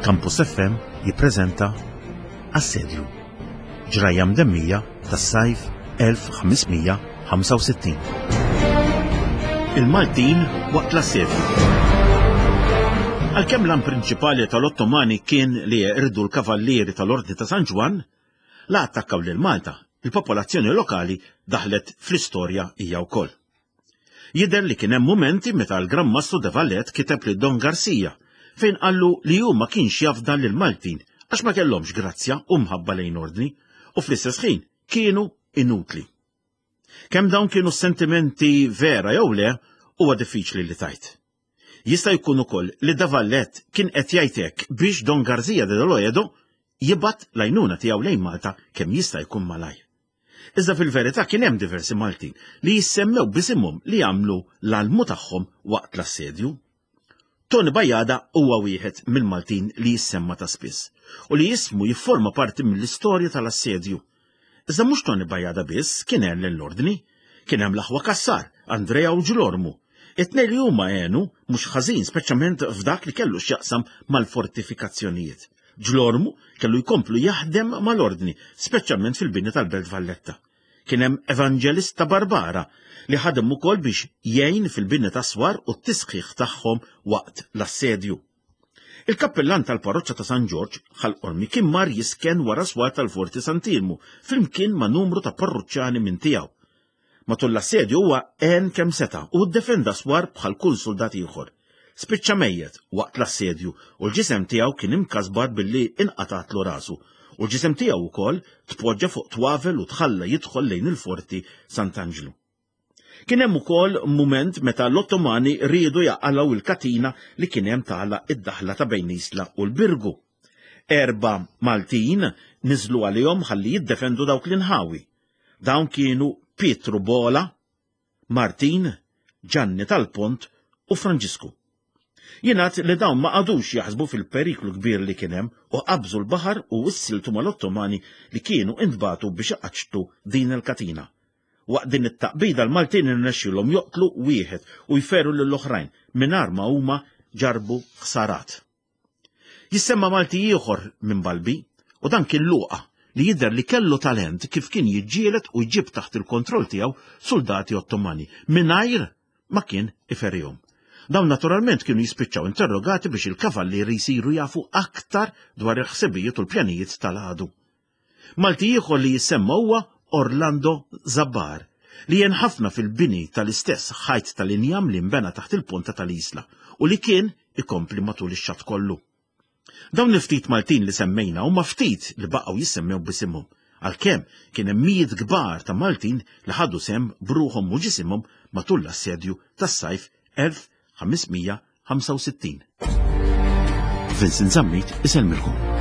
Campus FM jippreżenta Assedju. Ġrajja mdemmija tas-sajf 1565. Il-Maltin waqt l-assedju. Għalkemm l-għan prinċipali tal-Ottomani kien li jeqirdu l-kavallieri tal-Ordni ta' San Ġwann, la attakkaw lil Malta, il-popolazzjoni lokali daħlet fl-istorja hija wkoll. Jidher li kien hemm mumenti meta l-Gran Mastru de Valette kiteb lil Don Garcia fejn qallu li hu ma kienx jafda lill-Maltin għax ma kellhomx grazzja u mħabba lejn ordni u fl-istess ħin kienu inutli. Kemm dawn kienu sentimenti vera jew le huwa diffiċli li tgħid. Jista' jkun ukoll li de Valette kien qed jgħid hekk biex Don Garzia de Loedo jibgħat l-għajnuna tiegħu lejn Malta kemm jista' jkun malajr. Iżda fil-verità kien hemm diversi Maltin li jissemmew b'isimhom li għamlu l-almu tagħhom waqt l-assedju. Tony Bajada huwa wieħed mill-Maltin li jissemma ta' spiss u li ismu jifforma parti mill-istorja tal-assedju. Iżda mhux Tony Bajada biss kien għen lill-Ordni, kien hemm l-aħwa Cassar, Andrea u Ġlormu. It-tnejn li huma għenu mhux ħażin speċjalment f'dak li kellu x'jaqsam mal-fortifikazzjonijiet. Ġlormu kellu jkomplu jaħdem mal-Ordni, speċjalment fil-bini tal-Belt Valletta. Kien hemm Evanġelista Barbara li ħadem ukoll biex jgħin fil-bini tas-swar u t-tisħiħ tagħhom waqt l-assedju. Il-kappillan tal-parroċċa ta' San Ġorġ, Ħal Qormi kien mar jisken wara swar tal-Forti Sant'Iermu flimkien ma' numru ta' parruċċani minn tiegħu. Matul l-assedju huwa għen kemm seta' u ddefenda swar bħal kull suldat ieħor. Spiċċa mejjet waqt l-assedju u l-ġisem tiegħu kien imkasbar billi inqatgħatlu rasu u l-ġisem tiegħu wkoll tpoġġa fuq twavel u tħalla jidħol lejn il-Forti Sant'Anġlu. Kien hemm ukoll mument meta l-Ottomani riedu jaqalgħu l-katina li kien hemm tagħlaq id-daħla ta' bejn Isla u l-Birgu. Erba' Maltin niżlu għalihom ħalli jiddefendu dawk l-inħawi. Dawn kienu Pietru Bola, Martin, Ġanni tal-Pont u Franġisku. Jingħad li dawn ma qagħdux jaħsbu fil-periklu kbir li kien hemm u qabżu l-baħar u issiltu mal-Ottomani li kienu intbagħtu biex iqaċċtu din il-katina. Waqt din it-taqbida l-Maltin irnexxielhom joqtlu wieħed u jferu lill-oħrajn mingħajr ma huma ġarrbu ħsarat. Jissemma Malti ieħor minn Balbi, u dan kien Luqa, li jidher li kellu talent kif kien jiġġieled u jġib taħt il-kontroll tiegħu suldati Ottomani mingħajr ma kien iferihom. Dawn naturalment kienu jispiċċaw interrogati biex il-kavallieri jsiru jafu aktar dwar il-ħsibijiet u l-pjanijiet tal-għadu. Malti ieħor li jissemma huwa Orlando Zabbar, li għen ħafna fil-bini tal-istess ħajt tal-injam li nbena taħt il-ponta tal-Isla u li kien ikompli matul ix-xatt kollu. Dawn il-ftit Maltin li semmejna huma ftit li baqgħu jissemmew b'isimhom, għalkemm kien hemm mijiet kbar ta' Maltin li ħadu sehem b'ruħhom u ġisimhom matul l-assedju tas-sajf 1565. Vincent Zammit isellmilkom.